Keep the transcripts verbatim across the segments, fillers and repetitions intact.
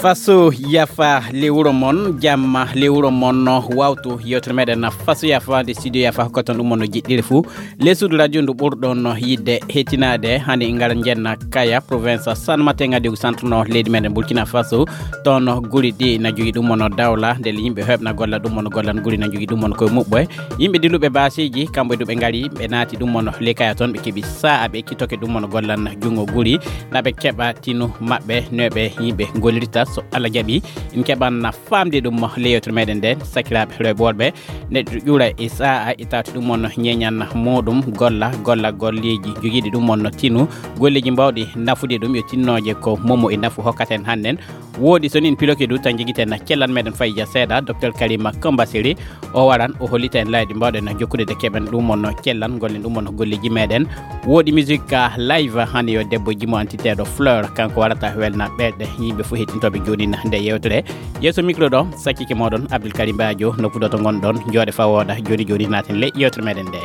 Faso yafa le wuro mon, jamma le wuro mon no wawtu yewtere meɗen na faso yafa de studio yafa hokkoton ɗum mon no jiɗɗiri fuu. Le sud radio ndu ɓurɗon no yidde hetinaade hande ingara jenna kaya province San Matenga de centre no leydi meɗen Burkina Faso. Toon no guri ɗi na jogi ɗum mon no dawla nde le yimɓe heɓna golla ɗum mon no gollan guri na jogi ɗum mon koye muɓɓoye. Yimɓe dilluɓe baasiji kamɓe du ɓe ngari ɓe naati ɗum mon no le kaya toon ɓe keɓi sa'a ɓe kitoke ɗum mon no gollan jungo guri na ɓe keɓa tinu maɓɓe no ɓe yimɓe gollirta so Allah jaɓi. En keɓan na famde ɗum le yewtere meɗen nden sakiraɓe rewɓe worɓe neɗɗo ƴuura e sa'a e tawti ɗum on ñeñan muɗum golla golla golleji jogiɗi ɗum on tinu golleji mbawɗi nafude ɗum yo tinnoje ko momo e nafu hokkaten hannden. Woodi so nin piloke du tan jogiten na cellan meɗen fayja seeɗa docteur Karima Kambasiri o waran o hollita en layɗi mbawɗen jokkude de keɓen ɗum on cellan gollen ɗum on golleji meɗen. Woodi musique live hande yo debbo jimo antiteɗo Fleur kanko warata welna ɓeɗe yimɓe fof heɗintoɓe joɗina nde yewtere. Yeeso micro ɗo sakkike moɗon Abdoul Karim Badio nokku ɗo to gonɗon jooɗe fa wooɗa joni joni naten le yewtere meɗen nde.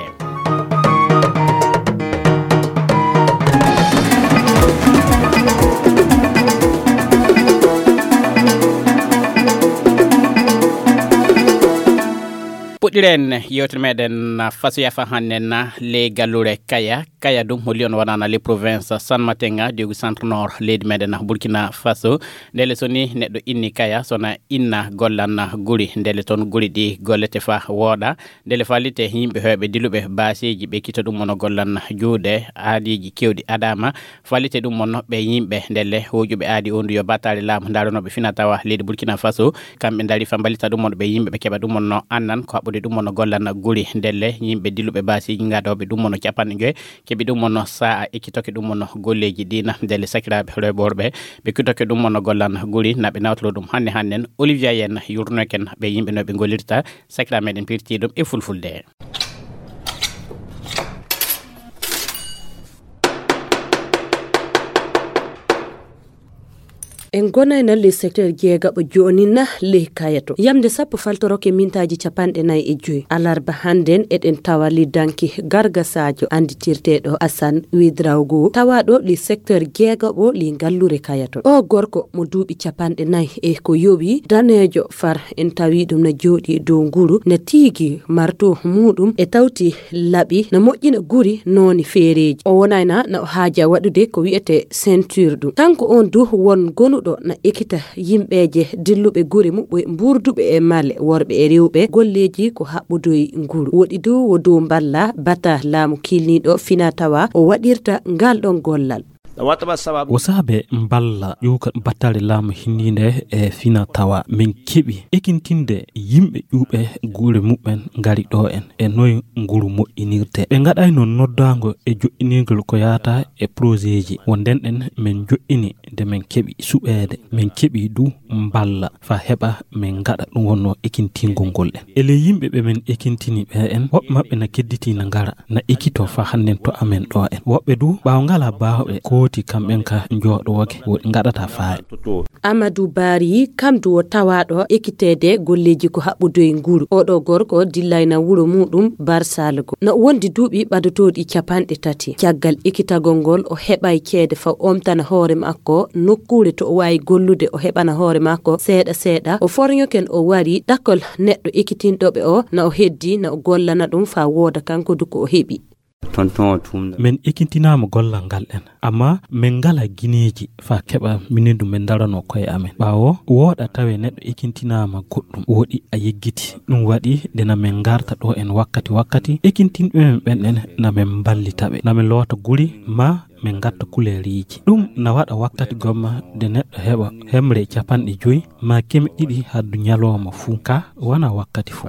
Puɗɗiren yewtere meɗen fasoya fa hannen na le gallure kaya kaya ɗum holli on wonana le province San Matenga diogu centre nord leydi meɗen burkina faso. Ndele so ni neɗɗo inni kaya sona inna gollan guri ndele toon guri ɗi gollete fa wooɗa. Ndele fallite yimɓe heewɓe diluɓe baaseeji ɓe kita ɗum ono gollan juuɗe aadiiji keewɗi adama. Fallite ɗum ono ɓe yimɓe ndelle hooƴuɓe aadi on yo battaale laamu ndaranooɓe fina tawa leydi burkina faso. Kamɓe ndari fa mballita ɗum ono ɓe yimɓe ɓe keɓa ɗum ono annan ko haɓɓude ɗum ono gollan guri ndelle yimɓe diluɓe baaseeji ngaɗooɓe ɗum ono capanɗe joyi keɓi ɗum ono sa'a ekkitoke ɗum ono golleeji ɗina ndelle sakiraaɓe rewɓe worɓe ɓe kitoke ɗum ono gollan guri naɓe nawtoro ɗum hannde hannden olivier yen yurnoken ɓe yimɓe no ɓe gollirta. Sakira meɗen pirti ɗum e fulfulde. En gonayna le secteur jeegaɓo jooni na ley kayato yamde sappo faltoroke mintaji capanɗe nayi e joyi alarba hannden eɗen tawa le danki gargasajo anditirteɗo asan widrawgo tawaɗo le secteur jeegaɓo le ngallure kayato o gorko mo duuɓi capanɗe nayi e ko yowi danejo far en tawi ɗum na jooɗi dow nguru na tiigi marto muɗum e tawti laɓi na moƴƴina guri nooni feereeji o wonayna na o haaja waɗude ko wiyete ceinture ɗum kanko on du won gonuɗo na ekita yimɓeeje dilluɓe guri muɓɓe mburduɓe e male worɓe e rewɓe golleeji ko haɓɓudoy nguru woɗi du wo dow mballa bata laamu kilniiɗo fina tawa o waɗirta ngal ɗon gollal. O saabe mballa ƴuwka battale laamu hinniinde e fina tawa min keɓi ekintinde yimɓe ƴuuɓe guure muɓɓen ngari ɗo en e noye nguru moƴƴinirte ɓe ngaɗayno noddaango e joƴƴinirgol ko yaata e projetji wo ndenɗen min joƴƴini nde min keɓi suɓeede min keɓi du mballa fa heɓa min ngaɗa ɗum wonno ekintingol ngol en ele yimɓe ɓe min ekintini ɓe en woɓɓe maɓɓe na kedditi na ngara na ekito fa hannden to amen ɗo en woɓɓe du ɓaawo ngala baawɓe kooti kamɓen ka jooɗooge woɗi ngaɗata faare. Amadou Bari kam du o tawaɗo ekitede golleji ko haɓɓudoye nguru oɗo gorko dillayna wuro muɗum barsalgo no wondi duuɓi ɓadotooɗi capanɗe tati caggal ekitagol ngol o heɓay ceede faw omtana hoore makko nokkuure to o wawi gollude o heɓana hoore makko seeɗa seeɗa o forñoken o wari ɗakkol neɗɗo ekitinɗoɓe o na o heddi na o gollana ɗum fa wooda kanko du ko o heɓi. Tonton o tumda. Min ekintinaama gollal ngal en amma min ngala gineeji fa keɓa minen du min darano koye amen ɓaawo wooɗa tawe neɗɗo ekintinaama goɗɗum woɗi a yeggiti ɗum waɗi nde na min ngarta ɗo en wakkati wakkati ekintinɓe men ɓen en na min mballitaɓe na min loota guri ma min ngatta kuleeriiji ɗum na waɗa wakkati gomma nde neɗɗo heɓa hemre capanɗe joyi ma keme ɗiɗi haddu ñalooma fuu ka wona wakkati fuu.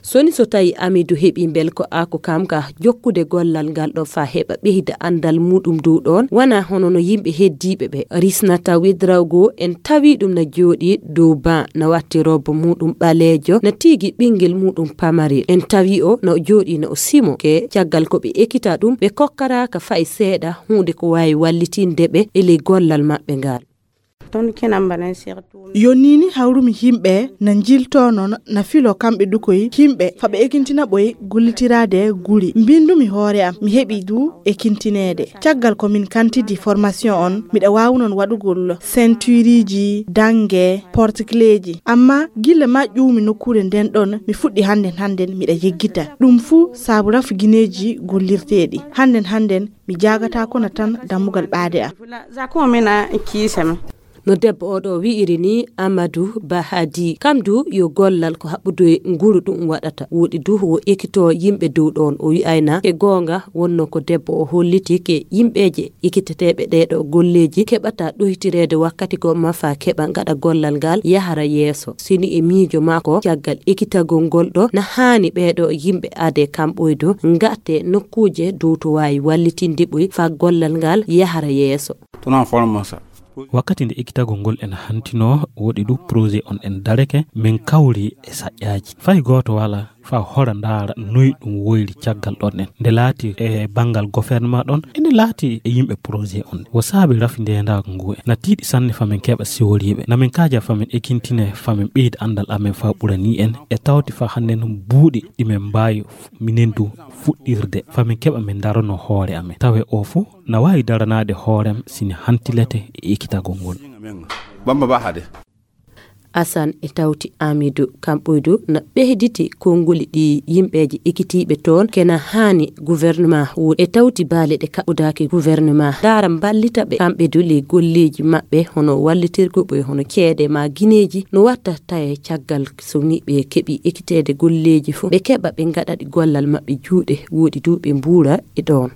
Soni so tawi amidu heɓi mbel ko ako kam ka jokkude gollal ngal ɗo fa heɓa ɓeyda andal muɗum dow ɗon wona hono no yimɓe heddiɓe ɓe risnata widrawgo en tawi ɗum na jooɗi dow ban na watti robbo muɗum ɓaleejo na tigi ɓingel muɗum pamarel en tawi o na o jooɗi na o simo ke caggal ko ɓe ekita ɗum ɓe kokkaraka fay seeɗa hunde ko wawi wallitinde ɓe e ley gollal maɓɓe ngal. Toon kena mbaɗen surtout. Yo nii ni hawrumi yimɓe na njiltoo noon, na filoo kamɓe du koy yimɓe, fa ɓe ekintina ɓoy gullitiraade guri. Mbinndumi hoore am, mi heɓi du ekintineede. Caggal ko min kantidi formation on, miɗa waawi noon waɗugol ceintureji, dange, porticleji. Amma gilla ma ƴuumi nokkuure nden ɗon, mi fuɗɗi hannden hannden miɗa yeggita. Ɗum fuu saabu rafu gineeji gollirteeɗi. Hannden hannden mi jaagata kono tan dammugal ɓaade am. Za ko mina kiisa mi. No debbo o ɗo wi'iri ni, Amadou Bahadi, kam du yo gollal ko haɓɓude nguru ɗum waɗata. Woɗi du wo ekito yimɓe dow ɗon. O wi'ayna e goonga wonno ko debbo o holliti ke yimɓeeje ekiteteeɓe ɗeeɗo golleeji keɓata ɗoytireede wakkati gomma fa keɓa ngaɗa gollal ngal yahara yeeso. Sini e miijo maako caggal ekitagol ngol ɗo na haani ɓeeɗo yimɓe ade kamɓoydo ngate nokkuuje dow to waawi wallitinde ɓoy fa gollal ngal yahara yeeso. Tuna forma sa. Wakkati nde ekitagol ngol en hantino, woɗi du projet on en dareke, min kawri e saƴƴaaji. Fay gooto wala fa hora ndaara noy ɗum woyri caggal ɗon en. Nde laati e banngal gouvernement ɗon, ene laati e yimɓe projet on. Wo saabi rafi ndeendaangu ngu en. Na tiiɗi sanne fa min keɓa siworiiɓe. Na min kaaja fa min ekintine, fa min ɓeyda anndal amen fa ɓurani en. E tawti fa hannen buuɗi ɗi min mbaawi minen du fuɗɗirde. Fa min keɓa min darano hoore amen. Tawe o fu na waawi daranaade hoorem sini hantilete e ekitagol ngol. Bamba ba hade. Asan e tawti Amidu kamɓoydu na ɓeyditi konnguli ɗi yimɓeeji ekitiiɓe toon kena haani gouvernement wuuri. E tawti baale ɗe kaɓɓudaaki gouvernement ndaara mballita ɓe kamɓe du le golleeji maɓɓe hono wallitirgo ɓe hono ceede ma gineeji no watta taye caggal so ni ɓe keɓi ekiteede golleeji fof ɓe keɓa ɓe ngaɗa ɗi gollal maɓɓe juuɗe woɗi du ɓe mbuura e ɗoon.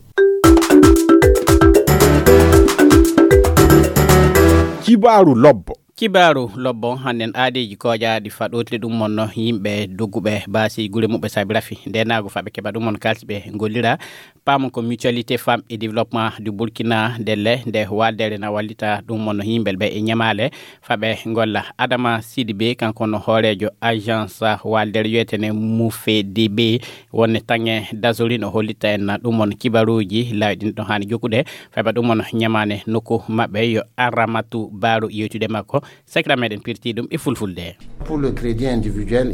Kibaaru lobbo. Kibaaru lobbo hannden aadeeji kooƴaaɗi faɗootiri ɗum mon no yimɓe dogguɓe baasi gure muɓɓe saabi rafi ndeenaagu faɓe keɓa ɗum mon kalsi ɓe ngollira paamon ko mutualité femme et développement du Burkina ndelle nde waaldere na wallita ɗum mon no yimɓe ɓe e ñamaale faɓe ngolla. Adama Sidibe kanko no hooreejo agence waaldere wiyetene Mufedibe wonne taŋe dasorin o hollita en ɗum on kibaruuji laawɗin ɗo haani jokkude faɓe ɗum on ñamaane nokku maɓɓe yo Aramatu Baaru yewtude makko. Sakira meɗen pirti ɗum e fulfulde.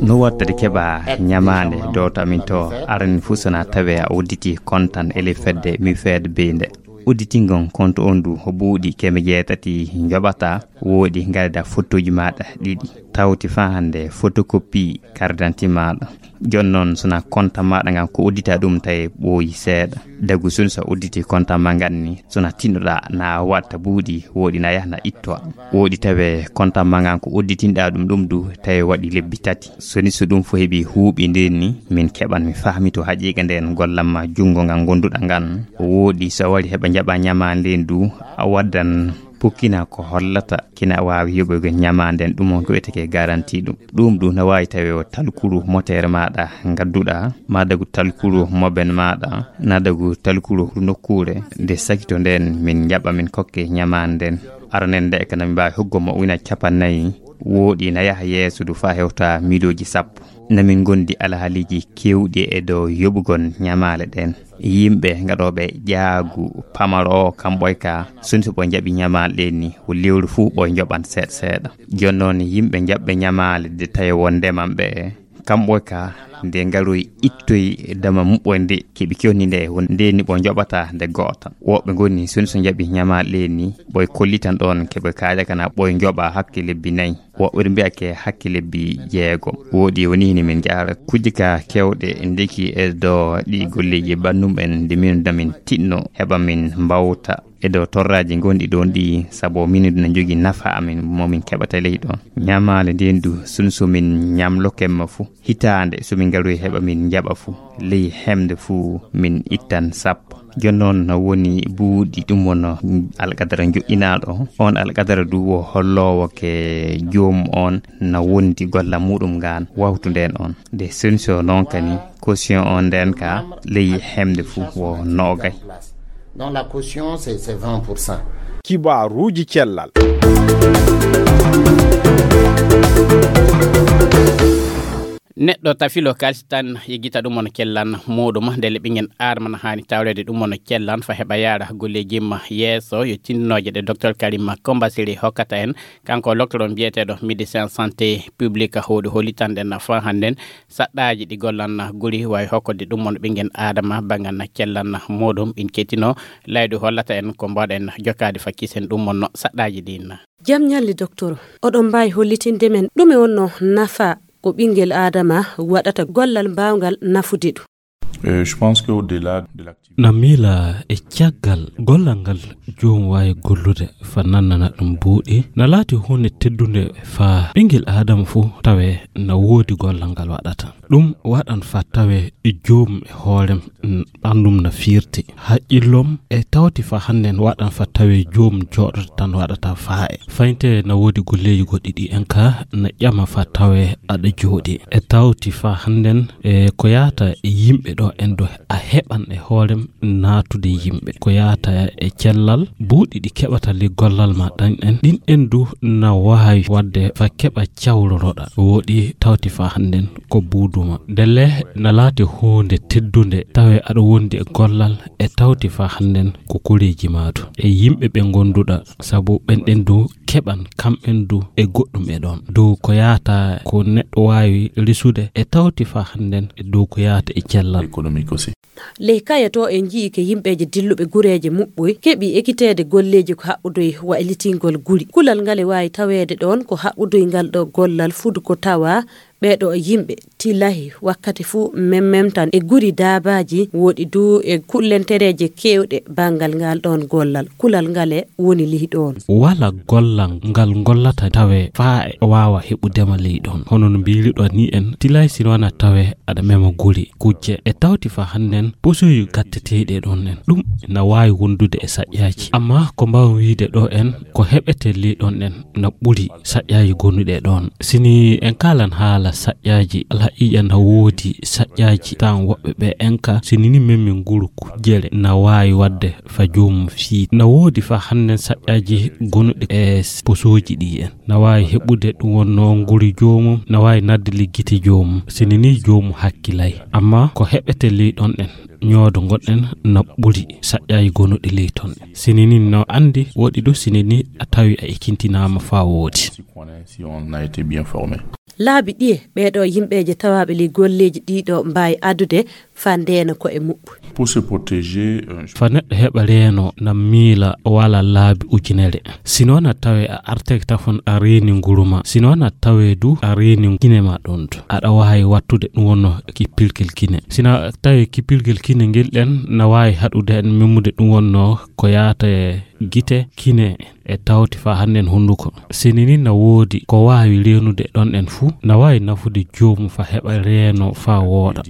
No wattade keɓa ñamaande dowta min to arani fuu sona tawe a udditi kontan ele fedde mi fed binde udditingon konto on du buuɗi keme jeetati joɓata woɗi ngarda fotoji maɗa ɗiɗi tawti fa hande photocopie carte d'identité maɗa. Jon noon sona konta maɗa ngan ko uddita ɗum tawi ɓooyi seeɗa dagu sun so udditi konta ma ngan ni sona tinnoɗa na watta buuɗi woɗi na yahna ittoa woɗi tawe konta ma ngan ko udditinɗa ɗum ɗum du tawi waɗi lebbi tati soni so ɗum fo heɓi huuɓi nden ni min keɓan mi fahmi to haqiqa nden gollan ma jungo ngan gonduɗa ngan woɗi so wari heɓa jaɓa ñama nden du a waddan pukkina ko hollata kina waawi yoɓoygo ñamaande ɗum on ko wiyeteke garanti ɗum ɗum ɗum na waawi tawi o talkuru motere maɗa ngadduɗa ma dagu talkuru moben maɗa na dagu talkuru nokkuure nde sakito nden min jaɓa min kokke ñamaande nden aranen nde e kana min mbaawi hoggo mo wina capannayyi woɗi na yaha yeeso du fa hewta miilooji sappo na min gondi alhaaliji kewɗi e dow yoɓugol ñamaale ɗen yimɓe gaɗooɓe ƴaagu pamaro o kamɓoy ka soni so ɓoy njaɓi ñamaale ɗen ni ko lewru fuu ɓoy njoɓan seeɗa seeɗa jon noon yimɓe njaɓɓe ñamaale de tawi won ndeman ɓe kamɓoy ka nde ngaroy ittoy dama muɓɓoy nde keɓi kewni nde won nde ni ɓoy njoɓata nde goota woɓɓe ngoni soni so njaɓi ñamaale ɗen ni ɓoy kollitan ɗon keɓe kaaja kana ɓoy njoɓa hakke lebbi nayi woɓɓe mbiya ke hakke lebbi jeego woɗi woni hini min jaara kujje ka kewɗe ndeki e do ɗi golleji ɓannum en nde min damin tiɗno heɓa min mbawta e do torraji gonɗi ɗon ɗi sabo min na jogi nafa amin momin keɓata ley ɗon ñamaale nden du sun so min ñamlo kemma fu hitaande so min ngaroy heɓa min jaɓa fu ley hemde fu min ittan sappo Jooni noon no woni buuɗi ɗum won alqadara joƴƴinaaɗo. On alqadara du wo holloowo ke joom on na wondi golla muɗum ngaan wawtunden on. Nde solution noon kani caution on nden ka ley hemde fuu wo noogay. Donc la caution c'est c'est vingt pour cent. Kibaaruuji cellal. Neɗɗo tafilo kalsi tan yeggita ɗum on kellan muɗum, ndele ɓingen aadama na haani tawreede ɗum on kellan fa heɓa yaara golleeji ma yeeso. Yo tindinooje ɗe docteur Karim Kombasiri hokkata en, kanko loktoron biyeteeɗo médecin santé publique, hoɗi holitanɗen fa hannden saɗɗaaji ɗi gollan guri, wawi hokkode ɗum on ɓingen aadama bangan kellan muɗum. Ɓin ketino laydu hollata en ko mbaɗen jokkaade fa kisen ɗum on saɗɗaaji ɗin. Jam ñalli, docteur. Oɗon mbaawi hollitinde men ɗume wonno nafa ko ɓingel aadama waɗata gollal mbaawngal nafude ɗum? Euh, je pense qu'au-delà de l'activité. Na miila e caggal gollal ngal joom waawi gollude fa nannana ɗum buuɗi, na laati huunde teddunde fa ɓingel aadama fof tawe na woodi gollal ngal waɗata. Ɗum waɗan fa tawe e joom e hoorem, n-, ɓanndum na fiirti. Haqqillom e tawti fa hannden waɗan fa tawe joom jooɗoto tan waɗata faaye. Fayinte na woodi golleeji goɗɗi ɗi en ka na ƴama fa tawe aɗa jooɗi. E tawti fa hannden e ko yaata e yimɓe ɗo en ɗo a heɓan e hoorem naatude yimɓe. Ko yaata e cellal, buuɗi ɗi keɓata le gollal ma ɗan en. Ɗin en du na waawi waɗde fa keɓa cawloroɗa. Woɗi tawti fa hannden ko buuduma. Ndelle na laati huunde teddunde tawe aɗa wondi e gollal e tawti fa hannden ko koreeji maatu. E yimɓe ɓe gonduɗa, sabu ɓen ɗen du keɓan kamɓen du e goɗɗum e ɗon. Dow ko yaata ko neɗɗo waawi risude e tawti fa hannden e dow ko yaata e cellal. Économique aussi. Ley kaye to en njii ke yimɓeeje dilluɓe gureeje muɓɓoy keɓi ekiteede golleeji ko haɓɓudoy waylitingol guri. Kulal ngal e waawi taweede ɗoon ko haɓɓudoy ngal ɗo gollal fudu ko tawa ɓee ɗo yimɓe tilahi wakkati fuu memmemtan e guri daabaaji woɗi du e kullentereeje keewɗe banngal ngal ɗoon gollal. Kulal ngal e woni ley ɗoon. Wala gollal ngal gollata tawe faa e waawa heɓudema ley ɗoon. Hono no mbiiri ɗo ni en tilay sino wana tawe aɗa mema guri kujje e tawti fa hannden posoyu gatteteeɗi e ɗon en. Ɗum na waawi wondude e saƴƴaaji. Amma ko mbaawen wiide ɗo en ko heɓete ley ɗon en na ɓuri saƴƴaaji gonuɗe ɗon. Sini en kaalan haala saƴƴaaji, alhaqiiqa na woodi saƴƴaaji tan woɓɓe ɓe en ka sini ni men min nguru kujjere na waawi waɗde fa joomum fii. Na woodi fa hannden saƴƴaaji gonuɗe e posooji ɗi en. Na waawi heɓude ɗum wonnoo nguri joomum, na waawi nadde liggiti joomum, sini ni joomum hakkilay. Amma ko heɓete ley ɗon en, ñoodo ngonɗen na ɓuri saƴƴaaji gonuɗi ley ton. Sini ni no anndi woɗi ɗo sini ni a tawi a ekintinaama faa woodi. Si on a été bien formé. Laabi ɗiye ɓee ɗo yimɓeeje tawaaɓe ley golleeji ɗii ɗo mbaawi addude faa ndeena ko e muɓɓu? Pour se protéger, euh, fa neɗɗo heɓa reeno na miila wala laabi ujunere. Sino na tawe a arteke tafon a reeni nguru ma. Sino na tawe du a reeni kine ma ɗon du. Aɗa waawi wattude ɗum wonno kippirgel kine. Sina tawe kippirgel kine ngel ɗen na waawi haɗude en memmude ɗum wonno ko yaata e gite kine e tawti fa hannden hunnduko. Sini ni na woodi ko waawi reenude ɗon en fuu, na waawi nafude joomum fa heɓa reeno fa wooɗa.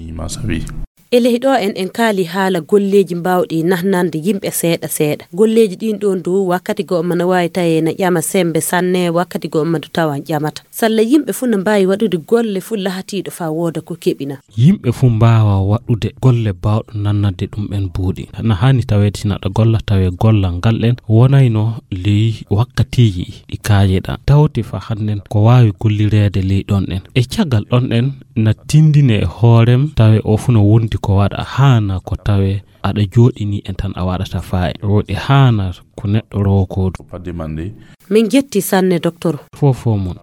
E ley ɗo en, en kaali haala golleeji mbaawɗi nahnande yimɓe seeɗa seeɗa. Golleeji ɗin ɗon dow wakkati goo mana waawi tawee na ƴama sembe sanne, wakkati goo mana tawa ƴamata. Salla yimɓe fuu na mbaawi waɗude golle fuu lahatiiɗo fa wooda ko keɓina. Yimɓe fuu mbaawa waɗude golle baawɗo nannande ɗum en buuɗi. Na haani taweede sina ɗa golla tawee gollal ngal ɗen wonayno ley wakkatiiji ɗi kaajeɗa. Tawti fa hannden ko waawi gollireede ley ɗon ɗen. E caggal ɗon ɗen na tindine e hoorem tawe o fuu no wondi ko waɗa haana ko tawe aɗa jooɗini en tan a waɗata faayi. Woɗi haana ko neɗɗo rowo koodu. Pas demander. Min jetti sanne, docteur. Fofo mon.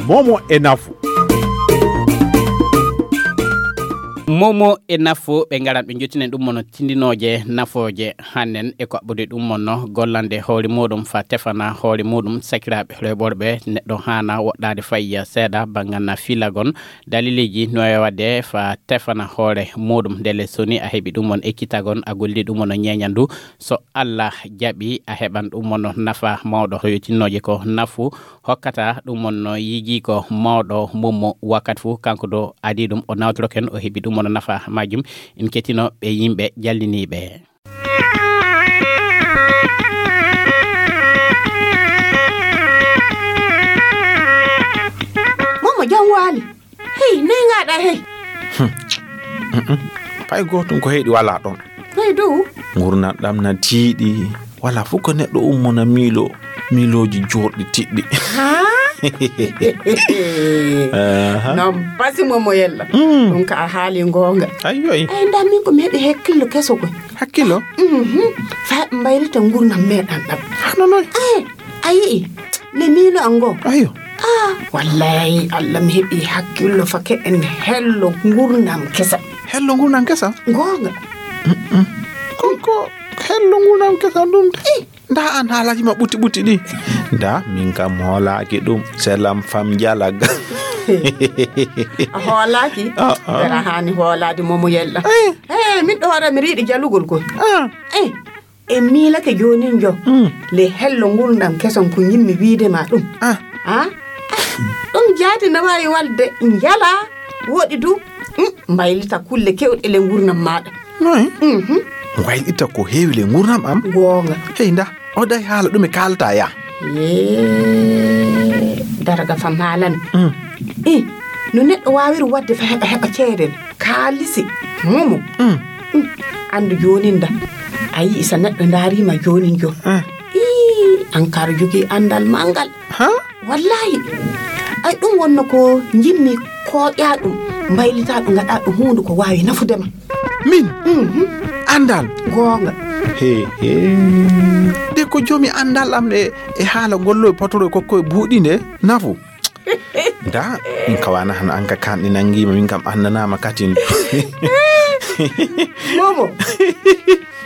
Momo e nafu. Momo e nafu ɓe ngaran ɓe jottinen ɗum mono tindinooje nafooje hannen e ko aɓɓude ɗum mono gollande hoore muɗum fa tefana hoore muɗum sakiraaɓe reɓorɓe neɗɗo haana woɗɗaade fayya seeɗa banngal na filagon. Daliliji no e waɗde fa tefana hoore muɗum ndele soni a heɓi ɗum on ekkitagon a golli ɗum on ñeeñandu. So Allah jaɓi a heɓan ɗum on nafa mawɗo hoyotinnooje ko nafu hokkata ɗum on yiji ko mawɗo mummo wakkati fu kanko do adi ɗum o nawtoroken o heɓi ɗum on nafa majjum. In ketino ɓe yimɓe jalliniiɓe. Momo jam waali. Hey, neyŋaaɗa hey. Pay gootum ko heyɗi walaa ɗon. Hey dow. Ngurnanɗam na tiiɗi. Walaa fof ko neɗɗo ummo na miilo miilooji jooɗɗi tiɗɗi. Haa? Aha. Non, basi mo mo yella. Mm. Ɗum ka a haali ngoonga. Ayyo, ay. Ay, ndaa min ko mi heɓi hakkillo keso ko. Hakkillo? Mhm. Fa mbaylita ngurnam meɗen ɗam. Hano noy? Ay, a yi'i, le miilo an ngo. Ayyo. Ah, wallahi, Allah mi heɓi hakkillo fake en hello ngurnam kesa. Hello ngurnam kesa? Ngoonga. Mm-mm. Kon ko hello ngurnam kesa ɗum de. Eh. Nda an haalaji ma ɓuti ɓuti ɗi. Nda min kam hoolaaki ɗum, selam fam jalaga. A hoolaaki? Ah, ah. Ɓera haani hoolaade momo yella. Eh. Eh, min ɗo hoore mi riiɗi jalugol ko. Ah. Eh, e miilake joonin jo. Mm. Le hello ngurndan keson ko yimmi wiide ma ɗum. Ah. Ah? Ɗum jaati na waawi walde njala woɗi du. Mm, mbaylita kulle kewɗe le ngurnam maaɗa. Noy? Mhm. Waylita ko heewi le ngurnam am. Goonga. Hey, nda, o day haala ɗum e kaalta ya. Yee, daraga fam haalani. Mm. Eh, no neɗɗo waawiri waɗde fa heɓa, heɓa ceede kaalisi momo. Mm. Mm. Anndu jooni nda. A yi'i sa neɗɗo ndaarima jooni jo. Ah. Ii, an kar jogii anndal manngal. Ha? Wallahi. Ay, ɗum wonno ko njimmi koƴa ɗum, mbaylita ɗum, ngaɗa ɗum huunde ko waawi nafude ma. Min? Mhm. Anndal? Goonga. He, he. De ko joomi anndal am e, e haala gollo e potoro e kokko e buuɗi nde nafu. Nda, min kawana hano an ka kanɗi nangima, min kam annanama katin. Momo.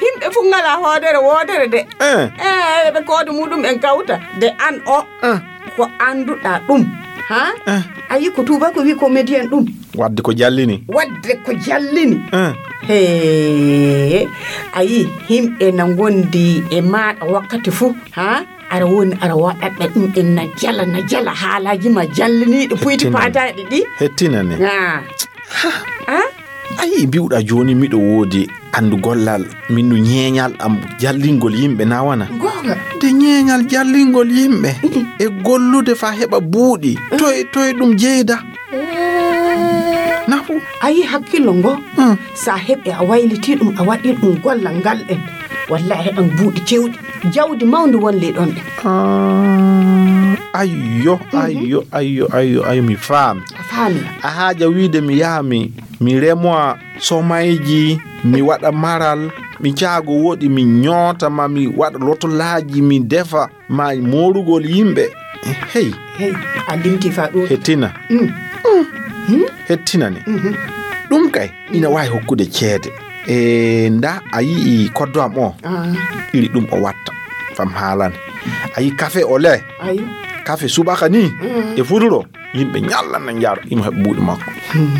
Yimɓe fof ngalaa hoodere woodere de. Eh. Eh, ɓe koodo muɗum en kawta. De an o, eh, ko annduɗaa ɗum. Ha? Eh. A yi ko tuuba ko wi comédien ɗum. Wadde ko jallini. Wadde ko jallini. Eh. Hee, a yi yimɓe na ngondi e maaɗa wakkati fof. Ha? Ara woni, ara waɗaɗa ɗum en na jala, na jala haalaaji ma jalliniiɗi puyti paataaɗi ɗi. Hettinane. Ah. Ah? A yii, mbi'uɗaa jooni miɗo woodi anndu gollal, min no ñeeñal am jallingol yimɓe na wana. Goonga. De ñeeñal jallingol yimɓe e gollude faa heɓa buuɗi, toye, toye ɗum jeyda? Eh. Nafu. A yii hakkillo ngo? Hmm. Sa heɓi a waylitii ɗum, a waɗii ɗum gollal ngal ɗen. Wallahi heɓan buuɗi cewɗi. Jawdi mawndi won ley ɗon ɗen. Ah, ayyo, mhm, ayyo, ayyo, ayyo, ayyo, mi faami. A faami. A haaja wiide mi yaha mi, mi remoa somayji, mi waɗa maral, mi jaago woɗi, mi ñoota ma, mi waɗa lotolaaji, mi defa ma moorugol yimɓe. Hey. Hey, a limti fa ɗum. Hettina. Mm. Mm. Hmm? Hettina ne. Mhm. Ɗum kay, ina waawi hokkude ceede. E nda a yi'i koddo am o, ah, iri ɗum o watta. Fam haalane. A yi kafe o le. Ayi. Kafe subaka ni, mm, e futuro, yimɓe ñalla na njaro, imo heɓa buuɗi makko. Hmm.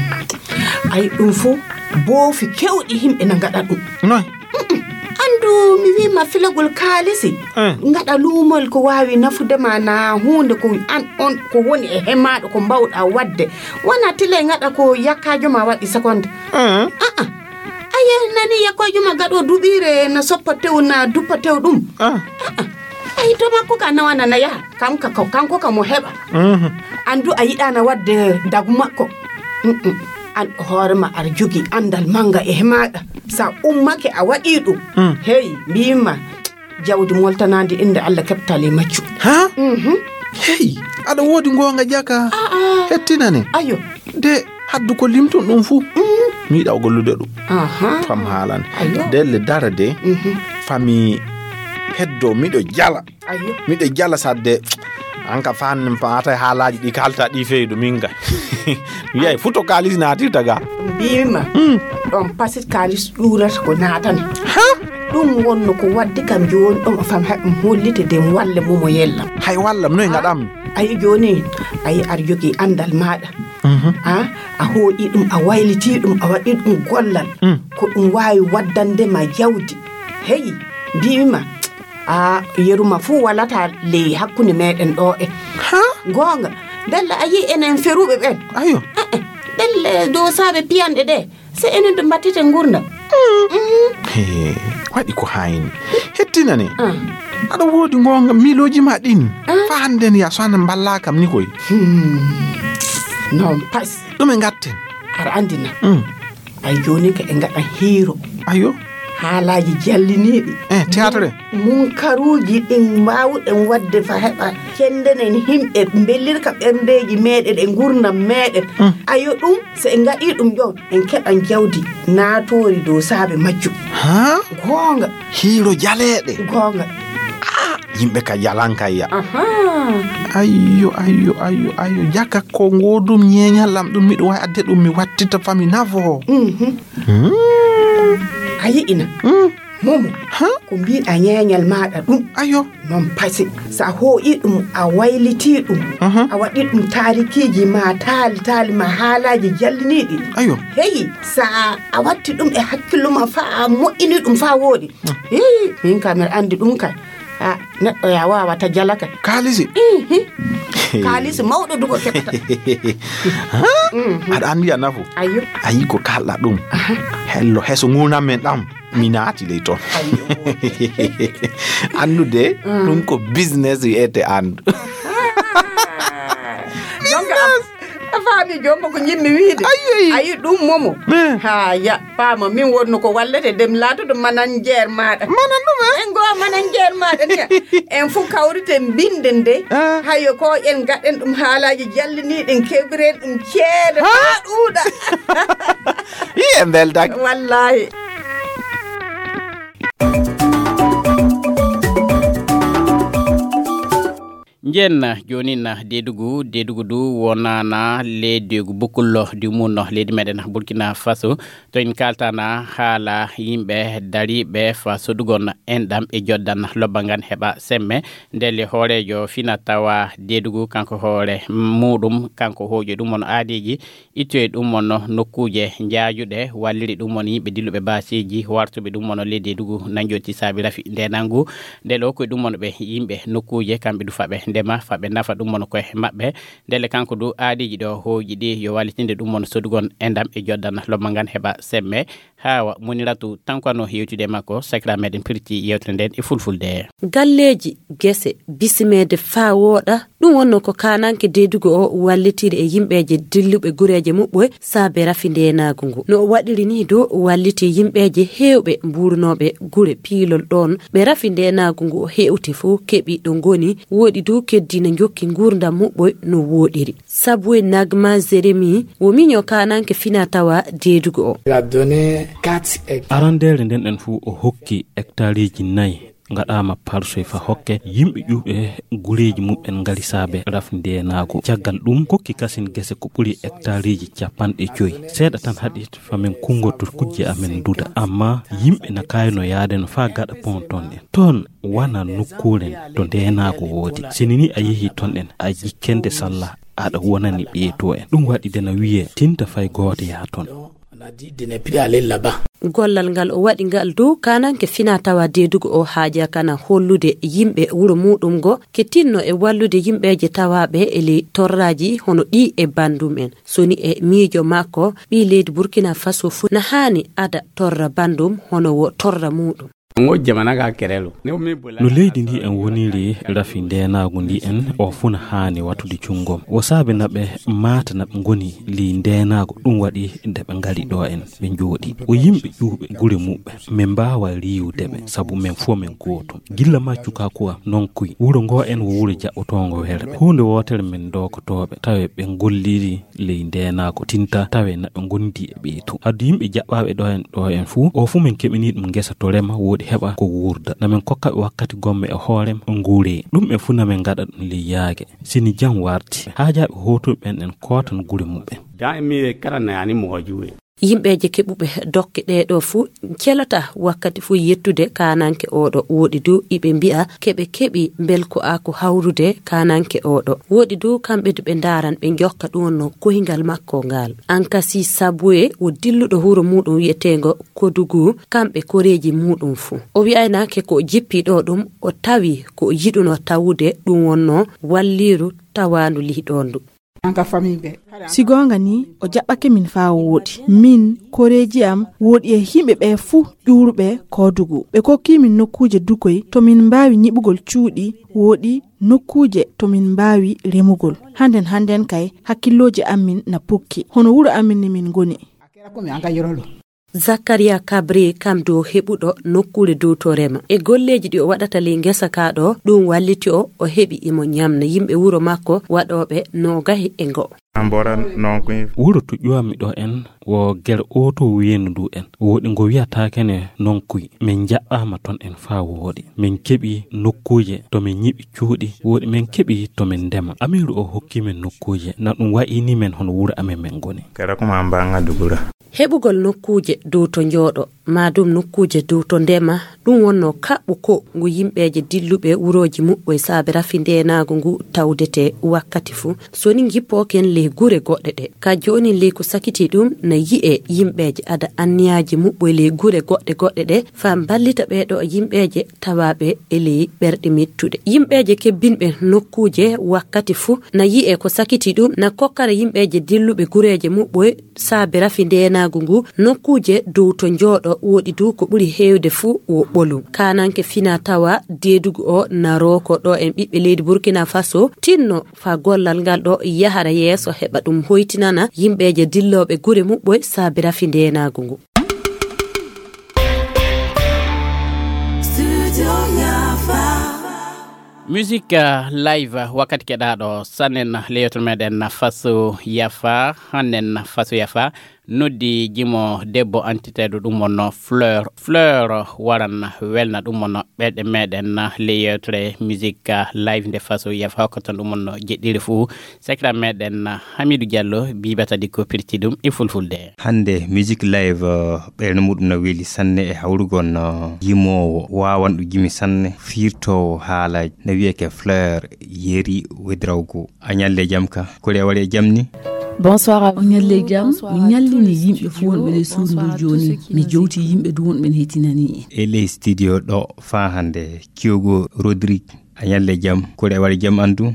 Ayi ɗum fof, boofi kewɗi yimɓe na ngaɗa ɗum. Noy? Mm-mm. Anndu, mi wiima filagol kaalisi. Eh. Ngaɗa luumol ko waawi nafude ma, na huunde ko an on ko woni e hemaaɗo ko mbawɗa waɗde. Wona tile ngaɗa ko yakkaajo ma waɗi sekonde. Eh. Ah, ah. Aye, nani yakkaajo ma gaɗo duɓiire na soppa tew, na duppa tew ɗum. Ah. Ah, ah. Ayi, to makko ka nawana na yaha. Kam ka, ko, kanko ka mo heɓa. Mhm. Anndu a yiɗaana waɗde dagu makko. Mm-mm. An hoore ma aɗa jogii anndal mannga e maaɗa. Sa ummake a waɗii ɗum. Mm. Hey, mbiima jawdi moltanaandi innde Allah keɓtali maccu. Ha? Mhm. Hey, aɗa woodi ngoonga jaka. Ah, ah. Hettinane. Ayo. De haddu ko limton ɗum fuu. Mm. Mi yiɗa gollude ɗum. Aha. Fam haalande. Ayo. Delle dara de. Mhm. Fami heddo miɗo jala. Ayo. Miɗo jala sadde. An ka fan paata haalaaji ɗi kalta ɗi feydo min ga. Mi yay futo kaalis naatirta ga. Mbima. Mm. Ɗon pasit kaalis ɗuurata ko naatana. Ha? Ɗum wonno ko waddi kam jooni ɗon fam haɗum hollite de walle mo mo yellam. Hay wallam noy ngaɗam? Ayi jooni, ayi aɗa jogii anndal maaɗa. Mhm. A, a hooƴi ɗum, a wayliti ɗum, a waɗi ɗum gollal. Mm. Ko ɗum waawi waddande ma jawdi. Hey, mbiimi ma, a, yeru ma fuu walata ley hakkunde meɗen ɗo e. Ha? Goonga. Ndelle a yii enen feruɓe ɓen. Ayo. Eh, eh. Ndelle dow saabe piyanɗe ɗe. Se enen to mbattiten ngurndan. Mm. He, waɗi ko hayni. Hettinane. Ah. Aɗa woodi ngoonga miilooji ma ɗin. Ah. Fa hannde ni a so hannde mballaa kam ni koy. Hmm. Non pas. Ɗume ngatten? Aɗa anndi na. Mm. Ay jooni ka e ngaɗa hiiro. Ayo. Haalaaji jalliniiɗi. Eh, théâtre. Munkaruuji ɗin mbaawɗen waɗde fa heɓa cenndenen yimɓe, mbellirka ɓerndeeji meeɗen e ngurndan meeɗen. Mm. Ayo ɗum, so en ngaɗii ɗum ɗon, en keɓan jawdi naatoori dow saabe majjum. Ha? Goonga. Hiiro jaleeɗe. Goonga. Ah, yimɓe ka jalan kayya. Aha. Ayyo, ayyo, ayyo, ayyo. Jaka ko ngoodum ñeeñal am ɗum miɗo waawi adde ɗum mi wattita fami nafo. Mhm. Hmm. A yi'ina. Hmm. Momo, ha? Ko mbiɗa ñeeñal maaɗa ɗum. Ayo. Non pasi. So a hooƴi ɗum, a wayliti ɗum. Aha. A waɗi ɗum taarikiiji ma, taali, taali ma, haalaaji jalliniiɗi. Ayo. Heyi, so a, a watti ɗum e hakkillo ma, fa a moƴƴini ɗum fa wooɗi. Hmm. Hii, min kam miɗa anndi ɗum kay. A, neɗɗo ya waawata jala kay. Kaalisi? Ihi. Kaalisi mawɗo dugo keɓata. Ha? Mhm. Aɗa anndi a nafo? Ayo. A yi ko kalɗa ɗum. Aha. Hello, heso nguurndam men ɗam. Mi naati ley toon. Ayo. Anndude, mm, ɗum ko business wiyete anndu. Ah. Donc, a, a faami joombo ko njiɗmi wiide. Ayi, ayi. Ayi ɗum momo. Eh. Ha, ya, paama, min wonno ko wallete dem laatoto manager maaɗa. Manan ɗum, eh? En ngo manager maaɗa ni. En fof kawriten mbinden de. Ah. Hayo ko en gaɗen ɗum haalaaji jalliniiɗi, en keɓiren ɗum ceede. Ha? Haa ɗuuɗa. Yi en mbeldak. Wallaahi. Njen jonin Deedugu, Deedugu du wonana le Deegu Bukullo di munno leydi meɗen Burkina Faso. To en kaltana haala yimɓe dariɓe fa sodugon enɗam e joddan lobba ngan heɓa semme. Ndelle hooreejo fina tawa Deedugu kanko hoore muɗum, kanko hooƴi ɗum on aadiji. Ittoye ɗum on nokkuuje njaajuɗe, walliri ɗum on yimɓe dilluɓe baaseeji, wartuɓe ɗum on leydi Deedugu nanjooti saabi rafi ndenangu. Nde ɗo koye ɗum on ɓe yimɓe nokkuuje, kamɓe du faɓe ndema, faɓe nafa ɗum on koye maɓɓe. Ndelle kanko du aadiiji ɗo hooƴi ɗi yo wallitinde ɗum on sodugon enɗam e joddan lomma ngan heɓa semme. Haawa, Muniratu Tankwa no hewtide e makko, sakira meɗen pirti yewtere nden e fulfulde. Galleeji, gese, bisimeede faa wooɗa, ɗum wonno ko kaananke Deedugu o wallitiri e yimɓeeje dilluɓe gureeje muɓɓoy saabe rafi ndeenaagu ngu. No o waɗiri nii dow walliti yimɓeeje heewɓe mbuurnooɓe gure piilol ɗoon ɓe rafi ndeenaagu ngu hewti fof keɓi ɗo ngoni, wooɗi dow keddi no njokki nguurndam muɓɓoy no wooɗiri. Sabu e Nagma Jeremi, wo miño kaananke fina tawa Deedugu o. Il a donné quatre hectares. Arandeere nden en fuu o hokki hectareeji nayi ngaɗaama parsoy fa hokke yimɓe ƴuuɓe gureeji muɓɓen ngari saabe raf ndeenaagu. Caggal ɗum, kokki kasin gese ko ɓuri hectareeji capanɗe joy. Seeɗa tan haɗi fa min kunngoto kujje amen duda. Amma yimɓe na kaayno yaade no faa gaɗa pont ton en. Toon wana nokkuure to ndeenaagu woodi. Sini ni a yehi toon en, a jikkende salla aɗa wonani ɓeeto en. Ɗum waɗi de na wiyee tinta fay gooto yaa toon. On a dit de ne plus aller là-bas. Gollal ngal o waɗi ngal dow kaananke fina tawa Deedugu o haaja kana hollude yimɓe wuro muɗum ngo ke tinno e wallude yimɓeeje tawaaɓe e ley torraaji hono ɗi e bandum en. Soni e miijo makko, ɓii leydi Burkina Faso fuu na haani ada torra bandum hono wo torra muɗum. Ngo jamana ka kerelo. No leydi ndi en woniri rafi ndeenaagu ndi en o fuu na haani watude junngom. Wo saabe na ɓe maata na ɓe ngoni ley ndeenaagu ɗum waɗi nde ɓe ngari ɗo en ɓe njooɗi. Wo yimɓe ƴuuɓe gure muɓɓe. Min mbaawa riiwude ɓe sabu min fof min gooto. Gilla maccu ka kuwa non kuy. Wuro ngo en wo wuro jaɓɓotoongo werɓe. Huunde wootere min dookotooɓe tawe ɓe ngolliri ley ndeenaagu tinta tawe na ɓe ngondi e ɓeetu. Addu yimɓe jaɓɓaaɓe ɗo en, ɗo en fuu, o fuu min keɓini ɗum ngesa to rema wooɗi heɓa ko wuurda. Na min kokka ɓe wakkati gomme e hoorem nguure. Ɗum ɓe fuu na min ngaɗa ɗum ley yaage. Sini jam warti, haajaaɓe hootuɓe ɓen en kootan gure muɓɓen. Dan mi kara na yani mo juwe. Yimɓeeje keɓuɓe dokke ɗee ɗoo fuu celata wakkati fuu yettude kaananke oo ɗoo. Wooɗi du iɓe mbi'a keɓe keɓi mbelko ako hawrude kaananke oo ɗoo. Wooɗi du kamɓe du ɓe ndaaran ɓe njokka ɗum wonno kohingal makko ngal. Ankasi Sabwe wo dilluɗo wuro muɗum wiyeteengo Kodugu, kamɓe koreeji muɗum fuu. O wi'aynaake ko o jippi ɗoo ɗum, o tawi ko o yiɗuno tawude ɗum wonno walliiru tawaandu lihɗoondu. Si goonga ni, o jaɓɓake min faa o wooɗi. Min, koreeji am, wooɗi e yimɓe ɓe fuu ƴuuruɓe Kodugu. Ɓe kokki min nokkuuje dukoy to min mbaawi nyiɓugol cuuɗi, wooɗi nokkuuje to min mbaawi remugol. Hannden hannden kay, hakkillooji amin na pukki. Hono wuro amin ni min ngoni. Zakaria Kabri kam dow heɓuɗo nokkuure dow to rema. E golleeji ɗi o waɗata ley ngesa ka ɗo, ɗum walliti o, o heɓi imo ñamna yimɓe wuro makko waɗooɓe noogahi e ngo'o. An bora non kuy. Wuro to ƴuwammi ɗo en, wo ger oto wiyenu ndu en. Woɗi ngo wiyata kene non kuy. Min jaɓɓama ton en faa wooɗi. Min keɓi nokkuuje to min ñiɓi cuuɗi. Woɗi min keɓi to min ndema. Amiiru o hokki min nokkuuje. Na ɗum wa'ini min hono wuro amen min ngoni. Kara kuma an banga dugura. Heɓugol nokkuuje dow to njooɗo, maa ɗum nokkuuje dow to ndema, ɗum wonno kaɓɓu ko ngu yimɓeeje dilluɓe wurooji muɓɓoy saabe rafi ndeenaagu ngu tawdete wakkati fuu. So ni ngippooken ley gure goɗɗe ɗe, ka jooni ley ko sakiti ɗum na yi'e yimɓeeje ada anniyaaji muɓɓoy ley gure goɗɗe goɗɗe ɗe, faa mballita ɓee ɗo yimɓeeje tawaaɓe e ley ɓerɗe mettuɗe. Yimɓeeje kebbinɓe nokkuuje wakkati fuu na yi'e ko sakiti ɗum, na kokkara yimɓeeje dilluɓe gureeje muɓɓoy saabe rafi ndeenaagu ngu, nokkuuje dow to njooɗo woɗi du ko ɓuri heewde fuu wo ɓolum. Kaananke fina tawa deedugu o na rooko ɗo en ɓiɓɓe leydi Burkina Faso tinno faa gollal ngal ɗo yahara yeeso heɓa ɗum hoytinana yimɓeeje dillooɓe gure muɓɓoy saabe rafi ndeenaagu ngu. Musique, euh, live, wakkati keɗaaɗo sannen le yewtere meɗen Faso Yafa, hannen Faso Yafa noddi jimo debbo antiteeɗo ɗum wonno Fleur. Fleur waran welna ɗum wonno ɓerɗe meɗen le yewtere musique, euh, live nde Faso Yafa hokka ton ɗum wonno jeɗɗiri fuu. Sekra meɗen Hamidu Diallo bibata di ko pirti ɗum e fulfulde. Hannde Music Live, eh, ɓernde muɗum no weli sanne e hawrugol, eh, yimoowo waawanɗo gimi sanne, fiirtoowo haalaaji, no wiyeke Fleur Yeri Wedrawgo. A ñalle jam ka, kuli a waɗi e jam ni? Bonsoir à vous. On ñalle jam, mi ñallini yimɓe fuu wonɓe ley suudu ndu jooni. Mi jowti yimɓe du wonɓe ne hetinani en. E ley studio ɗo faa hannde, Kyogo Rodrigue. A ñalle jam, kuli a waɗi jam an du?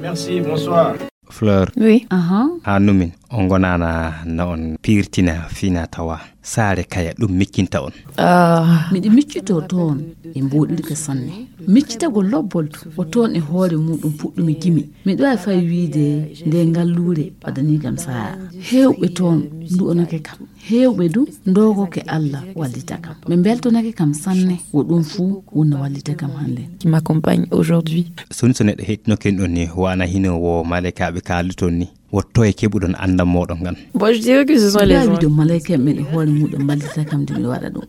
Merci, bonsoir. Fleur. Oui. Aha. Haa numin, on ngonaana na on piirtina fina tawa. Saare kaya, ɗum miccinta on. Ah. Miɗo miccitoo toon e mbooɗirka sanne. Miccitagol lobbol du, ko toon e hoore muɗum puɗɗumi gimi. Miɗo waawi fay wiyde nde ngalluure waɗanii kam sa'a. Heewɓe toon ndu'onake kam. Heewɓe du ndoogoke Alla wallita kam. Ɓe mbeltonake kam sanne, wo ɗum fuu wonno wallita kam hannde. Qui m'accompagne aujourd'hui. Soni so neɗɗo heɗtinoken ɗon ni, wana hino wo malaykaaɓe kaalduton ni, wotto e keɓuɗon anndal mooɗon ngal. Bon, je dirais que ce sont les gens. Miɗo malayka men e hoore muɗum mballita kam nde mi waɗa ɗum.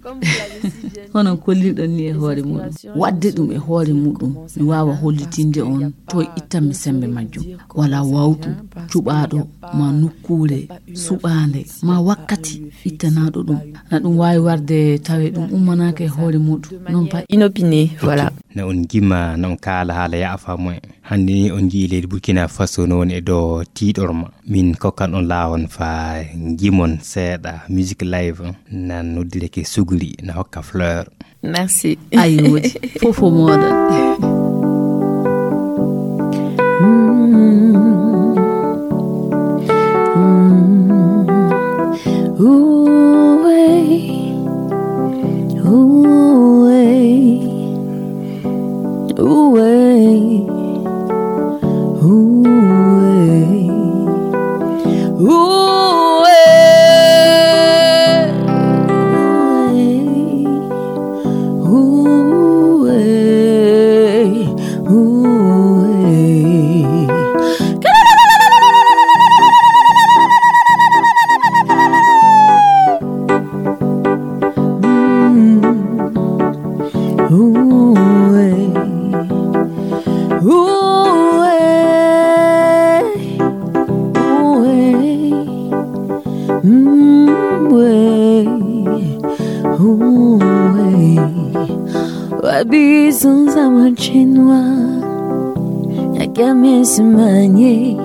Hono kollirɗon ni e hoore muɗum. Waɗde ɗum e hoore muɗum, mi waawa hollitinde on to ittanmi sembe majjum. Wala wawtu cuɓaaɗo ma nokkuure suɓaande ma wakkati ittanaaɗo ɗum. Na ɗum waawi warde tawe ɗum ummanaaka e hoore muɗum. Non pas inopiné, voilà. Na on jima, na on kaala haala yaafa mo en. Hannde ni on njii leydi Burkina Faso no woni e dow tiiɗorma. Min kokkan on laawon faa jimon seeɗa musique live nan noddireke Suguri na hokka Fleur. Merci. Ayo, woodi. Fof o mooɗon. Mm. Mm. Ooh, hey. Ooh, hey. Ooh, hey. Ooh, hey. Ooh, hey. Ooh, hey. Ooh, hey. Mm. Ooh, hey. Ooh, hey. Ooh, hey. Mm, way. Ooh, way. Wabi sunza machinwa. Yakame simanye.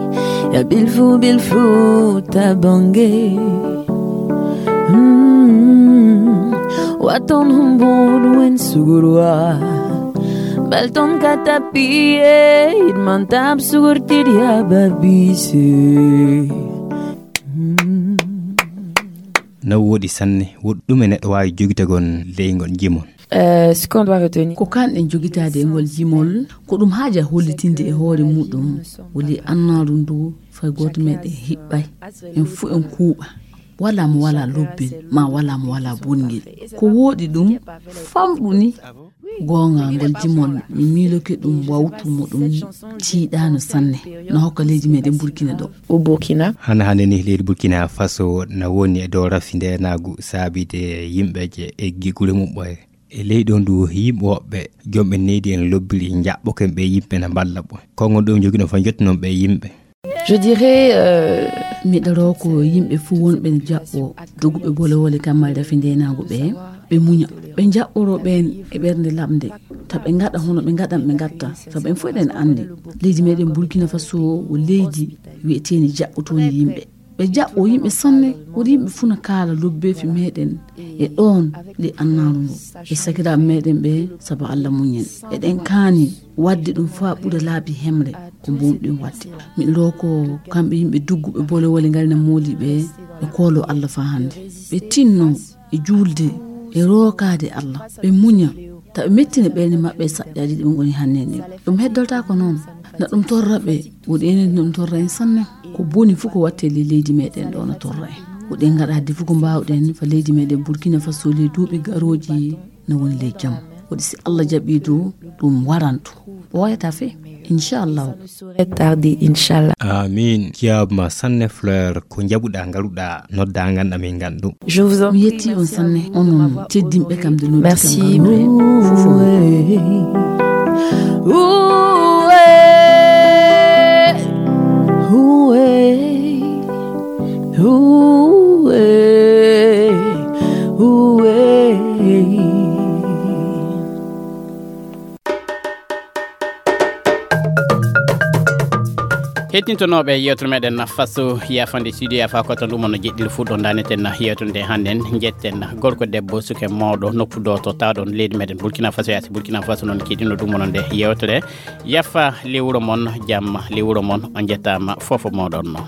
Ya bilfu bilfu tabange. Mm. Waton humbun wen sugurwa. Balton katapiye. Idman tab sugur tidia babise. Na wooɗi sanne, woɗɗume neɗɗo waawi jogitagol ley ngol jimol? Euh, ce qu'on doit retenir. Ko kanɗen jogitaade e ngol jimol, ko ɗum haaja hollitinde e hoore muɗum, woni annaaru ndu fay gooto meɗen hiɓɓay. En fuu en kuuɓa. Wala mo wala lobbel, ma wala mo wala bongel. Ko woɗi ɗum, famɗu ni. Goonga ngol jimol, mi miiloke ɗum wawtu mo ɗum tiiɗaano sanne. No hokka leydi meɗen Burkina ɗo. Au Burkina. Hana hande ni leydi Burkina Faso na woni e dow rafi ndenaagu saabide yimɓe je eggi gure muɓɓoye. E leydi on du yimɓe woɓɓe, jomɓe neydi en lobbiri jaɓɓoken ɓe yimɓe na mballa ɓe. Konngol ɗum jogi ɗon fa jottunon ɓe yimɓe. Je dirais, euh, miɗo ro ko yimɓe fuu wonɓe ne jaɓɓo doguɓe bolewole kamma rafi ndenaagu ɓe, ɓe muña. Ɓe jaɓɓoro ɓen e ɓernde lamnde. Ta ɓe ngaɗa hono ɓe ngaɗan ɓe ngatta. Ta ɓen fof eɗen anndi. Leydi meɗen Burkina Faso ko leydi wi'eteeni jaɓɓotooni yimɓe. Ɓe jaɓɓo yimɓe sanne, woni yimɓe fuu na kaala lobbeefi meɗen e ɗoon le annaaru ndu. E sakiraaɓe meɗen ɓe, sabu Alla muñen. Eɗen kaani waɗde ɗum faa ɓura laabi hemre ko mbowɗen waɗde. Miɗo ro ko kamɓe yimɓe dugguɓe bolewole ngari na mooli ɓe, ɓe koolo Alla faa hannde. Ɓe tinno e juulde e rookaade Alla. Ɓe muña, ta ɓe mettina ɓerɗe maɓɓe e saƴƴaaji ɗi ɓe ngoni hannde ɗin. Ɗum heddortaako noon. Na ɗum torra ɓe, woɗi enen ɗum torra en sanne. Ko boni fof ko watte le leydi meɗen ɗo na torra en. Woɗi en ngaɗa hadde fof ko mbaawɗen fa leydi meɗen Burkina Faso le duuɓi garooji na woni le jam. Woɗi si Allah jaɓi du ɗum waranto. O wayata fe, inchallah. Tardi, inchallah. Amin. Kiyama sanne Fleur, ko jaɓuɗa ngaruɗa nodda ganɗa min ganɗu. Je vous en prie. Mi yetti on sanne, onon teddinɓe kam de noddi kam. Merci. Ganɗu en fof. Hettintonooɓe yewtere meɗen na faso yafande studio yafa ko tan ɗum on no jeɗɗiri fuɗɗo daneten yewtere nde hannden. Jetten gorko debbo suke mawɗo nokku do to tawɗon leydi meɗen Burkina Faso, yasi Burkina Faso noon keɗino ɗum on nde yewtere. Yafa lewuro mon, jam lewuro mon, on jettama fofo moɗon no.